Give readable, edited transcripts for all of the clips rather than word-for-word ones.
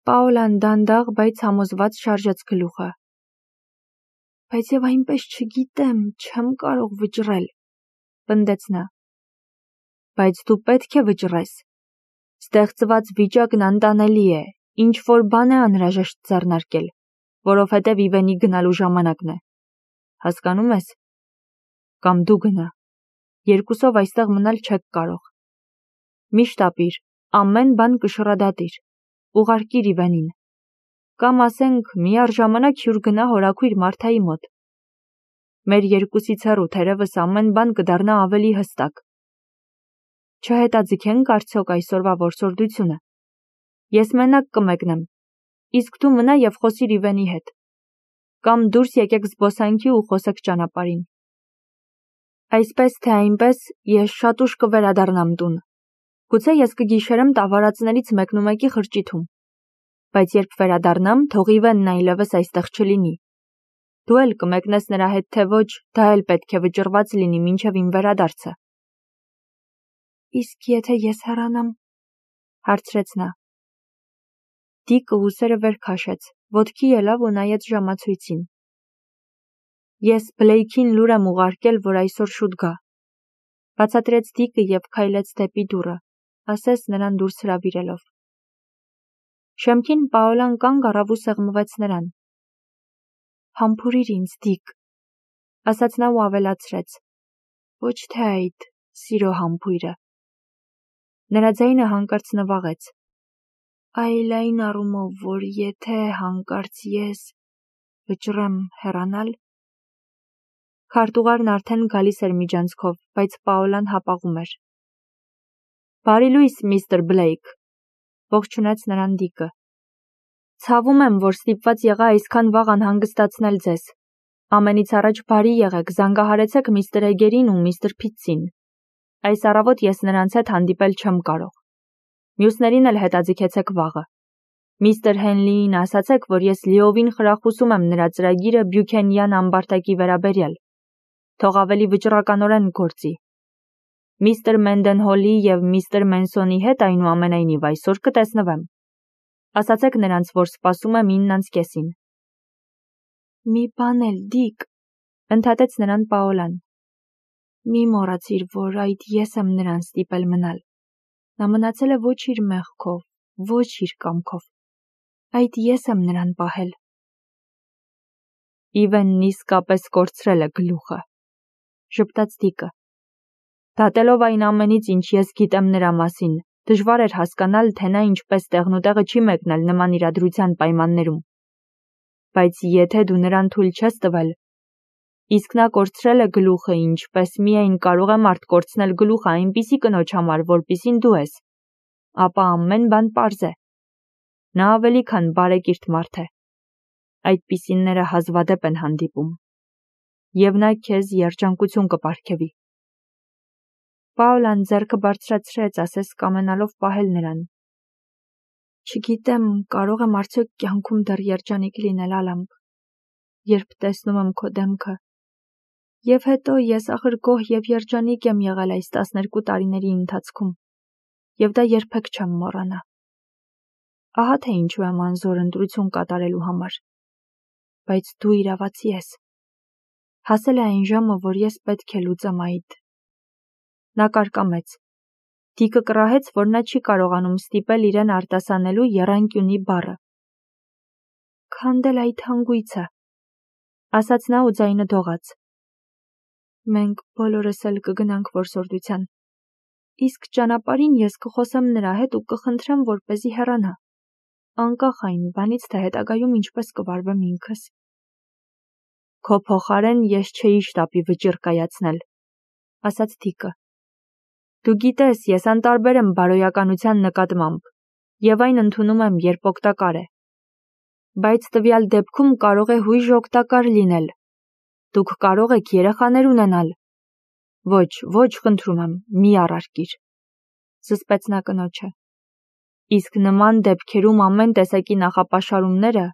Պաոլան դանդաղ, բայց համոզված շարժեց գլուխը։ Բայց եւ այնպես չգիտեմ, չեմ կարող վճռել, պնդեց նա։ Բայց դու պետք է վճռես։ Ստեղծված վիճակն անտանելի է, ինչ որ բան է անհրաժեշտ ձեռնարկել, որովհետև Իվենի գնալու ժամանակն է։ Հասկանում ես։ Կամ դու գնա։ Երկուսով այստեղ մնալ չեք կարող։ Միշտ ապիր, ամեն բան կշռադատիր, ուղարկիր Իվենին։ Կամ ասենք միառժամանակ հյուր գնա հորաքույր Մարթայի մոտ։ Մեր երկուսից հեռու թերևս ամեն բան կդառնա ավելի հստակ։ Չհետաձգենք արդյոք այսօրվա որսորդությունը։ Ես մենակ կմեկնեմ, իսկ դու մնա եւ խոսիր Իվենի հետ։ Կամ դուրս եկեք զբոսանքի ու խոսեք ճանապարհին։ Այսպես թե այնպես ես շատ ուշ կվերադառնամ տուն։ Գուցե ես կգիշերեմ տավարածներից մեկնումեկի խրճիթում։ Բայց երբ վերադառնամ, թող Իվենն այլևս այստեղ չլինի։ Դու էլ կմեկնես նրա հետ թե ոչ, դա էլ պետք է վճռված լինի մինչև իմ վերադարձը։ Իսկ եթե ես հեռանամ, հարցրեց նա։ Դիկը ուսերը վեր քաշեց, ոտքի ելավ ու նայեց ժամացույցին։ Ես Բլեյքին լուր եմ ուղարկել, որ այսօր շուտ գա։ Բացատրեց Դիկը եւ քայլեց դեպի դուռը, ասես նրան դուրս հրավիրելով։ Շեմքին Պաոլան կանգ առավ ու սեղմվեց նրան։ Համբուրիր ինձ, Դիկ, ասաց նա ու ավելացրեց. Ոչ թե այդ, սիրո համբույրը։ Նրա ձայնը հանկարծ նվաղեց։ Այլ այն առումով, որ եթե հանկարծ ես վճռեմ հեռանալ։ Քարտուղարն արդեն գալիս էր միջանցքով, բայց Պաոլան հապաղում էր։ Բարի լույս, միստր Բլեյք, ողջունեց նրան Դիկը։ Ցավում եմ, որ ստիպված եղա այսքան վաղ անհանգստացնել ձեզ։ Ամենից առաջ բարի եղեք, զանգահարեցեք միստր Էգերին ու միստր Փիթսին։ Այս առավոտ ես նրանց հետ հանդիպել չեմ կարող։ Մյուսներին էլ հետաձգեցեք վաղը։ Միստր Հենլիին ասացեք, որ ես լիովին խրախուսում եմ նրա ծրագիրը Բյուքենյան ամբարտակի վերաբերյալ։ Թող ավելի վճռականորեն գործի։ Միստր Մենդենհոլի եւ միստր Մենսոնի հետ այնուամենայնիվ այսօր կտեսնվեմ։ Ասացեք նրանց, որ սպասում եմ 9:30-ին։ Մի բան էլ, Դիկ, ընդհատեց նրան Պաոլան։ Մի մոռացիր, որ այդ ես եմ նրան ստիպել մնալ։ Նա մնացել է ոչ իր մեղքով, ոչ իր կամքով։ Այդ ես եմ նրան պահել։ Իվենն իսկապես կորցրել է գլուխը, ժպտաց Դիկը։ Դատելով այն ամենից, ինչ ես գիտեմ նրա մասին, դժվար էր հասկանալ, թե նա ինչպես տեղնուտեղը չի մեկնել նման իրադրության պայմաններում։ Բայց եթե դու նրան թույլ չես տվել, իսկ նա կորցրել է գլուխը, ինչպես միայն կարող է մարդ կորցնել գլուխը այնպիսի կնոջ համար, որպիսին դու ես, ապա ամեն բան պարզ է։ Նա ավելի քան բարեկիրթ մարդ է։ Այդպիսինները հազվադեպ են հանդիպում։ Եվ նա քեզ երջանկություն կպարգևի։ Պաոլան ձեռքը բարձրացրեց, ասես կամենալով պահել նրան։ Չգիտեմ, կարող եմ արդյոք կյանքում դեռ երջանիկ լինել, Ալամբ, երբ տեսնում եմ քո դեմքը։ Եվ հետո ես ախր գոհ եւ երջանիկ եմ եղել այս 12 տարիների ընթացքում, եւ դա երբեք չեմ մոռանա։ Ահա թե ինչու եմ անզոր ընտրություն կատարելու համար։ Բայց դու իրավացի ես։ Հասել է այն ժամը, որ ես պետք է լուծեմ այդ։ Նա կարկամեց։ Դիկը կռահեց, որ նա չի կարողանում ստիպել իրեն արտասանելու եռանկյունի բառը։ Քանդել այդ հանգույցը, ասաց նա ու ձայնը դողաց։ Մենք բոլորս էլ կգնանք որսորդության։ Իսկ ճանապարհին ես կխոսեմ նրա հետ ու կխնդրեմ, որպեսզի հեռանա։ Անկախ այն բանից, թե հետագայում ինչպես կվարվեմ ինքս։ Քո փոխարեն ես չէի շտապի վճիռ կայացնել, ասաց Դիկը։ Դու գիտես, ես անտարբեր եմ բարոյականության նկատմամբ, եւ այն ընդունում եմ, երբ օգտակար է։ Բայց տվյալ դեպքում կարող է հույժ օգտակար լինել։ Դուք կարող եք երեխաներ ունենալ։ Ոչ, խնդրում եմ, մի առարկիր, զսպեց նա կնոջը։ Իսկ նման դեպքերում ամեն տեսակի նախապաշարումները,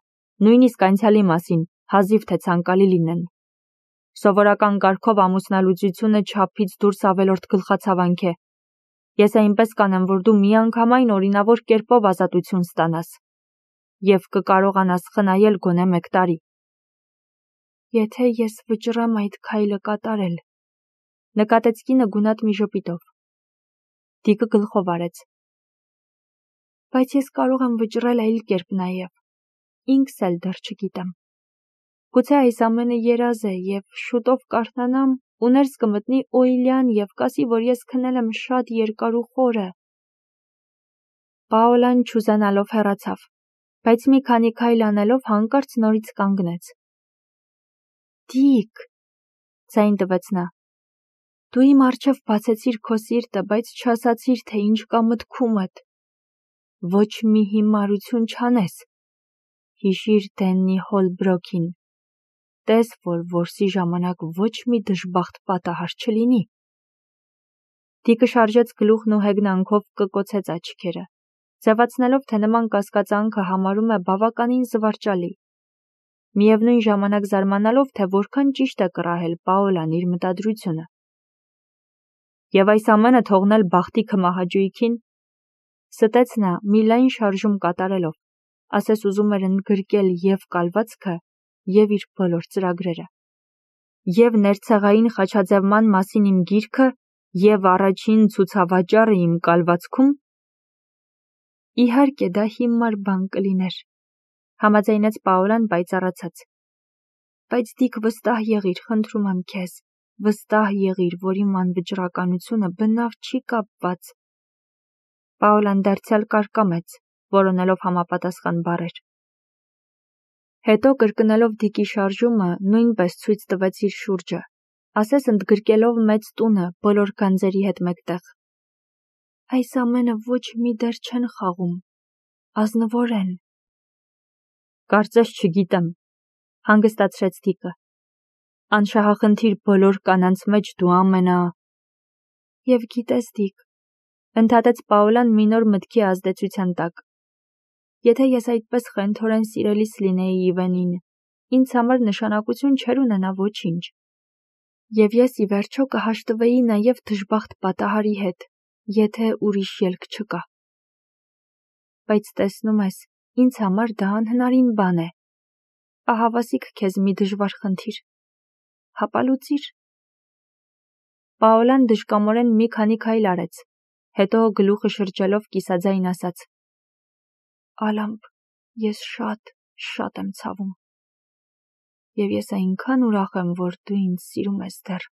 նույնիսկ անցյալի մասին, հազիվ թե ցանկալի լինեն։ Սովորական կարգով ամուսնալուծությունը չափից դուրս ավելորդ գլխացավանք է։ Ես այնպես կանեմ, որ դու միանգամայն օրինավոր կերպով ազատություն ստանաս։ և կկարողանաս խնայել գոնե 1 տարի։ Եթե ես վճռեմ այդ քայլը կատարել, նկատեց կինը գունատ մի ժպիտով։ Դիկը գլխով արեց։ Բայց ես կարող եմ վճռել այլ կերպ նաև, ինքս էլ դեռ չգիտեմ։ Գուցե այս ամենը երազ է և շուտով կարթնանամ ու ներս կմտնի Օիլյան և կասի, որ ես քնել եմ շատ երկար ու խորը։ Պաոլան չուզենալով հեռացավ, բայց մի քանի քայլ անելով հանկարծ նորից կանգնեց։ Դիկ, ձայն տվեց նա, դու իմ առջև բացեցիր քո սիրտը, բայց չասացիր, թե ինչ կա մտքումդ։ Ոչ մի հիմարություն չանես։ Հիշիր Դեննի Հոլբրոքին։ Տես, որ որսի ժամանակ ոչ մի դժբախտ պատահար չլինի։ Դիկը շարժեց գլուխն ու հեգնանքով կկոցեց աչքերը, ձևացնելով, թե նման կասկածանքը համարում է բավականին զվարճալի։ Միևնույն ժամանակ զարմանալով, թե որքան ճիշտ է կռահել Պաոլան իր մտադրությունը։ Եվ այս ամենը թողնել բախտի քմահաճույքին, ստեց նա մի լայն շարժում կատարելով, ասես ուզում էր ընդգրկել և կալվածքը, և իր բոլոր ծրագրերը, և ներցեղային խաչաձևման մասին իմ գիրքը, և առաջին ցուցավաճառը իմ կալվածքում։ Իհարկե դա հիմար բան կլիներ, համաձայնեց Պաոլան պայծառացած։ Բայց Դիկ վստահ եղիր, խնդրում եմ քեզ, վստահ եղիր, որ իմ անվճռականությունը բնավ չի կապված։ Պաոլան դարձյալ կարկամեց, որոնելով համապատասխան բառեր։ Հետո կրկնելով Դիկի շարժումը, նույնպես ցույց տվեց իր շուրջը, ասես ընդգրկելով մեծ տունը բոլոր գանձերի հետ մեկտեղ։ Այս ամենը ոչ մի դեր չեն խաղում, ազնվոր են։ Կարծես չգիտեմ, հանգստացրեց Դիկը։ Անշահախնդիր բոլոր կանանց մեջ դու Եվ գիտես, Դիկ, ընդհատեց Պաոլան մի նոր մտքի ազդեցության տակ։ Եթե ես այդպես խենթորեն սիրելիս լինեի Իվենին, ինձ համար նշանակություն չէր ունենա ոչինչ։ Եվ ես ի վերջո կհաշտվեի նաև դժբախտ պատահարի հետ, եթե ուրիշ ելք չկա։ Բայց տեսնում ես, ինձ համար դա անհնարին բան է։ Ահավասիկ քեզ մի դժվար խնդիր։ Հապա լուծիր։ Պաոլան դժկամորեն մի քանի քայլ արեց, հետո գլուխը շրջելով կիսաձայն ասաց. Ալամպ, ես շատ եմ ցավում։ Եվ ես այնքան ուրախ եմ, որ դու ինձ սիրում ես դեռ։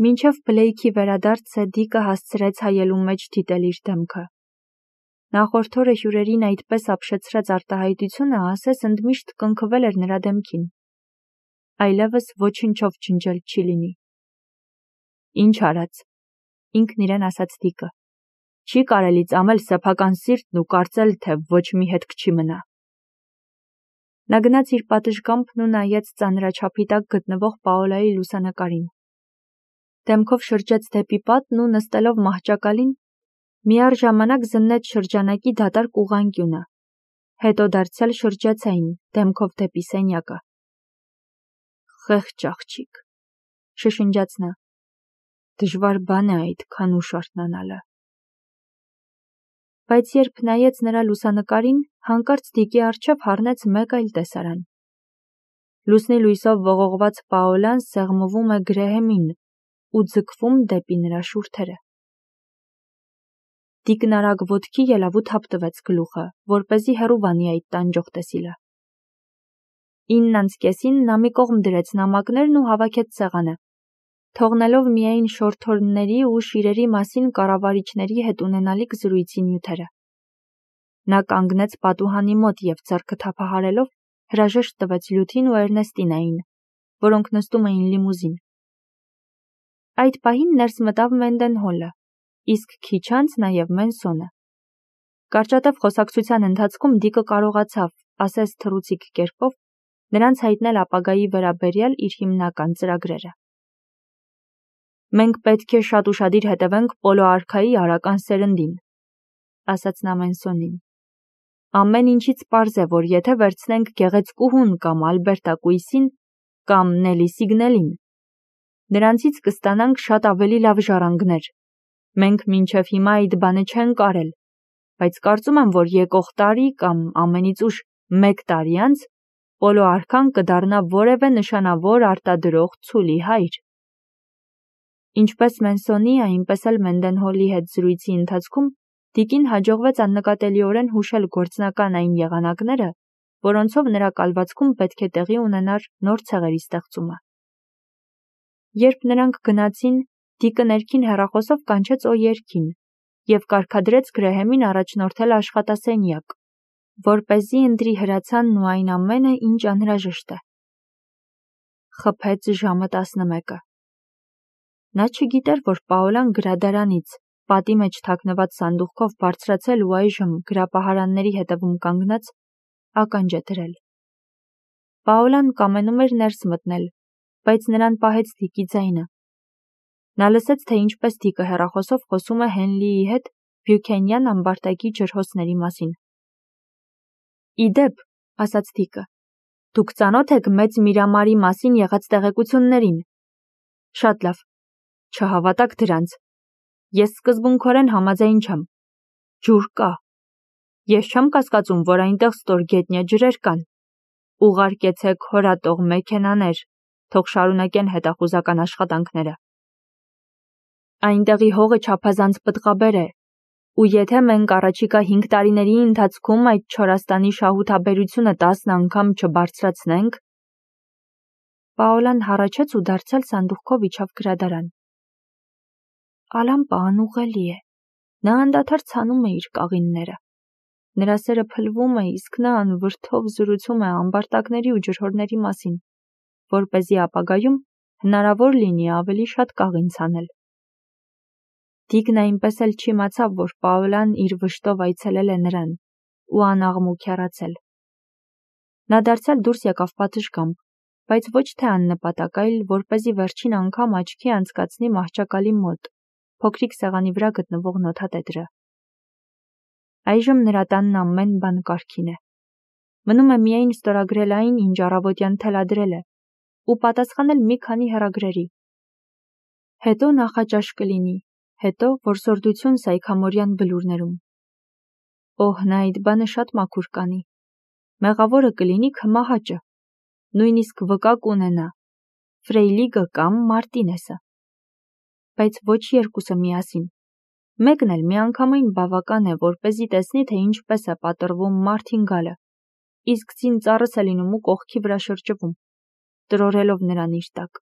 Մինչև Բլեյքի վերադարձը Դիկը հասցրեց հայելու մեջ դիտել իր դեմքը։ Նախորդ օրը հյուրերին այդպես ապշեցրած արտահայտությունը ասես ընդմիշտ կնքվել էր նրա դեմքին։ Այլևս ոչնչով ջնջել չի լինի։ Ինչ արած, ինքն իրեն ասաց Դիկը։ Չի կարելի ծամել սեփական սիրտն ու կարծել, թե ոչ մի հետք չի մնա։ Նա գնաց իր պատշգամբն ու նայեց ծանրաչափի տակ գտնվող Պաոլայի լուսանկարին։ Դեմքով շրջեց դեպի պատն ու նստելով մահճակալին, միառժամանակ զննեց շրջանակի դատարկ ուղղանկյունը, հետո դարձյալ շրջեց այն, դեմքով դեպի սենյակը։ Խեղճ աղջիկ, շշնջաց նա։ Դժվար բան է այդքան ուշ արթնանալը։ Բայց երբ նայեց նրա լուսանկարին, հանկարծ Դիկի առջև հառնեց մեկ այլ տեսարան։ Լուսնի լույսով ողողված Պաոլան սեղմվում է Գրեհեմին ու ձգվում դեպի նրա շուրթերը։ Դիկն արագ ոտքի ելավ ու թափ տվեց գլուխը, որպեսզի հեռու վանի այդ տանջող տեսիլը։ 9:30-ին նա մի կողմ դրեց նամակներն ու հավաքեց սեղանը, թողնելով միայն շորթորների ու շիրերի մասին կառավարիչների հետ ունենալիք զրույցի նյութերը։ Նա կանգնեց պատուհանի մոտ և ձեռքը թափահարելով հրաժեշտ տվեց Լյութին ու Էրնեստինային, որոնք նստում էին լիմուզին։ Այդ պահին ներս մտավ Մենդենհոլը, իսկ քիչ անց նաև Մենսոնը։ Կարճատև խոսակցության ընթացքում Դիկը կարողացավ, ասես թռուցիկ կերպով, նրանց հայտնել ապագայի վերաբերյալ իր հիմնական ծրագրերը։ Մենք պետք է շատ ուշադիր հետևենք Պոլո արքայի արական սերնդին, ասաց նա Մենսոնին։ Ամեն ինչից պարզ է, որ եթե վերցնենք Գեղեցկուհուն կամ Ալբերտակույսին կամ Նելի Սիգնելին, նրանցից կստանանք շատ ավելի լավ ժառանգներ։ Մենք մինչև հիմա այդ բանը չենք արել։ բայց կարծում եմ, որ եկող տարի կամ ամենից ուշ 1 տարի անց Պոլո արքան կդառնա որևէ նշանավոր արտադրող ցուլի հայր։ Ինչպես Մենսոնի, այնպես էլ Մենդենհոլի հետ զրույցի ընթացքում Դիկին հաջողվեց աննկատելիորեն հուշել գործնական այն եղանակները, որոնցով նրա կալվածքում պետք է տեղի ունենար նոր ցեղերի ստեղծումը։ Երբ նրանք գնացին, Դիկը ներքին հեռախոսով կանչեց Օյերքին և կարգադրեց Գրեհեմին առաջնորդել աշխատասենյակ, որպեսզի ընտրի հրացանն ու այն ամենը, ինչ անհրաժեշտ է։ Խփեց ժամը 11-ը։ Նա չգիտեր, որ Պաոլան գրադարանից, պատի մեջ թաքնված սանդուղքով բարձրացել ու այժմ գրապահարանների հետևում կանգնած, ականջ է դրել։ Պաոլան կամենում էր ներս մտնել, բայց նրան պահեց Դիկի ձայնը։ Նա լսեց, թե ինչպես Դիկը հեռախոսով խոսում է Հենլիի հետ Բյուքենյան ամբարտակի ջրհոսների մասին։ «Ի դեպ», ասաց Դիկը, «դուք ծանոթ եք Մեծ Միրամարի մասին եղած տեղեկություններին»։ «Շատ լավ, չհավատաք դրանց։ Ես սկզբունքորեն համաձայն չեմ։ Ջուր կա։ Ես չեմ կասկածում, որ այնտեղ ստորգետնյա ջրեր կան։ Ուղարկեցեք հորատող մեքենաներ, թող շարունակեն հետախուզական աշխատանքները։ Այնտեղի հողը չափազանց պտղաբեր է, ու եթե մենք առաջիկա 5 տարիների ընթացքում այդ Չորաստանի շահութաբերությունը 10 անգամ չբարձրացնենք»։ Պաոլան հառաչեց ու դարձյալ սանդուղքով իջավ գրադարան։ Ալամպը անուղղելի է։ Նա անդադար ցանում է իր կաղինները։ Նրա սերը փլվում է, իսկ նա անվրդով զրուցում է ամբարտակների ու ջրհորների մասին, որպեսզի ապագայում հնարավոր լինի ավելի շատ կաղին ցանել։ Դիկն այնպես էլ չիմացավ, որ Պաոլան իր վշտով այցելել է նրան ու անաղմուկ հեռացել։ Նա դարձյալ դուրս եկավ պատշգամբ, բայց ոչ թե աննպատակ, այլ որպեսզի վերջին անգամ աչքի անցկացնի մահճակալի մոտ, փոքրիկ սեղանի վրա գտնվող նոթատետրը։ Այժմ նրա տանն ամեն բան կարգին է։ Մնում է միայն ստորագրել այն, ինչ առավոտյան թելադրել է, ու պատասխանել մի քանի հեռագրերի։ Հետո նախաճաշ կլինի, հետո որսորդություն Սայքամորյան բլուրներում։ Օհ, նա այդ բանը շատ մաքուր կանի։ Մեղավորը կլինի քմահաճը, նույնիսկ վկա կունենա, Ֆրեյլիգը կամ Մարտինեսը։ Բայց ոչ երկուսը միասին։ Մեկն էլ միանգամայն բավական է, որպեսզի տեսնի, թե ինչպես է պատռվում Մարտինգալը, իսկ ծին ծառս է լինում ու կողքի վրա շրջվում, տրորելով նրան իր տակ։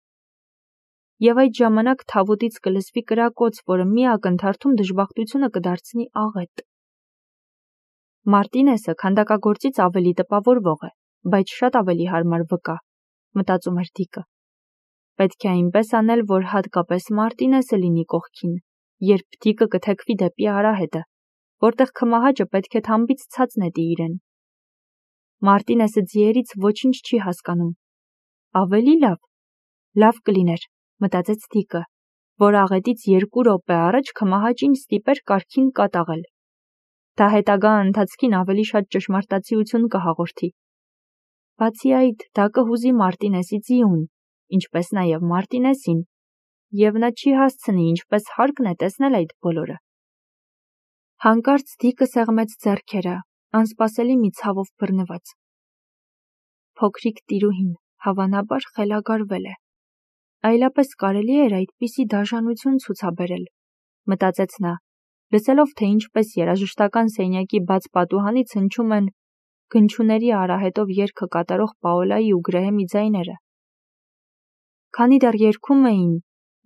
Եվ այդ ժամանակ թավուտից կլսվի կրակոց, որը մի ակնթարթում դժբախտությունը կդարձնի աղետ։ Մարտինեսը քանդակագործից ավելի տպավորվող է, բայց շատ ավելի հարմար վկա, մտածում էր Դիկը։ Պետք է այնպես անել, որ հատկապես Մարտինեսը լինի կողքին, երբ Դիկը կթեքվի դեպի արահետը, որտեղ քմահաճը պետք է թամբից ցած նետի իրեն։ Մարտինեսը ձիերից ոչինչ չի հասկանում։ Ավելի լավ կլիներ, մտածեց Դիկը, որ աղետից 2 րոպե առաջ քմահաճին ստիպեր կարգին կատաղել։ Դա հետագա ընթացքին ավելի շատ ճշմարտացիություն կհաղորդի։ Բացի այդ, դա կհուզի Մարտինեսի ձիուն, ինչպես նաև Մարտինեսին, և նա չի հասցնի ինչպես հարկն է տեսնել այդ բոլորը։ Հանկարծ Դիկը սեղմեց ձեռքերը, անսպասելի մի ցավով բռնված։ Փոքրիկ տիրուհին հավանաբար խելագարվել է։ Այլապես կարելի էր այդպիսի դաժանություն ցուցաբերել, մտածեց նա, լսելով, թե ինչպես երաժշտական սենյակի բաց պատուհանից հնչում են գնչուների արահետով երգը կատարող Պաոլայի ու Գրեհեմի ձայները։ Քանի դեռ երգում էին,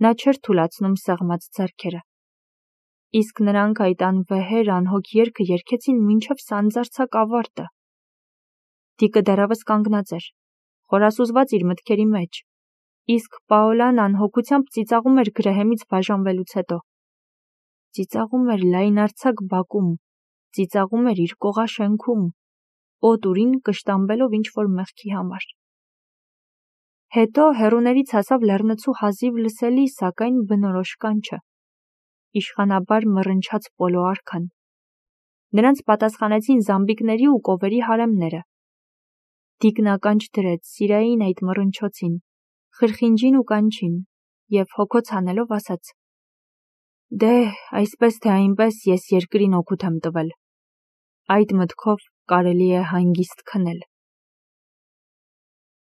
նա չէր թուլացնում սեղմած ձեռքերը։ Իսկ նրանք այդ անվեհեր անհոգ երգը երգեցին մինչև սանձարձակ ավարտը։ Դիկը դեռևս կանգնած էր, խորասուզված իր մտքերի մեջ, իսկ Պաոլան անհոգությամբ ծիծաղում էր Գրեհեմից բաժանվելուց հետո։ Ծիծաղում էր լայնարձակ բակում, ծիծաղում էր իր կողաշենքում, օտուրին կշտամբելով ինչ-որ մեղքի համար։ Հետո հեռուներից հասավ լեռնցու հազիվ լսելի, սակայն բնորոշ կանչը։ Իշխանաբար մռնչաց Պոլո արքան։ Նրանց պատասխանեցին զամբիկների ու կովերի հարեմները։ Դիկն ականջ դրեց սիրային այդ մռնչոցին, խրխինջին ու կանչին, և հոգոց հանելով ասաց. «Դե, այսպես թե այնպես ես երկրին օգուտ եմ տվել»։ Այդ մտքով կարելի է հանգիստ քնել։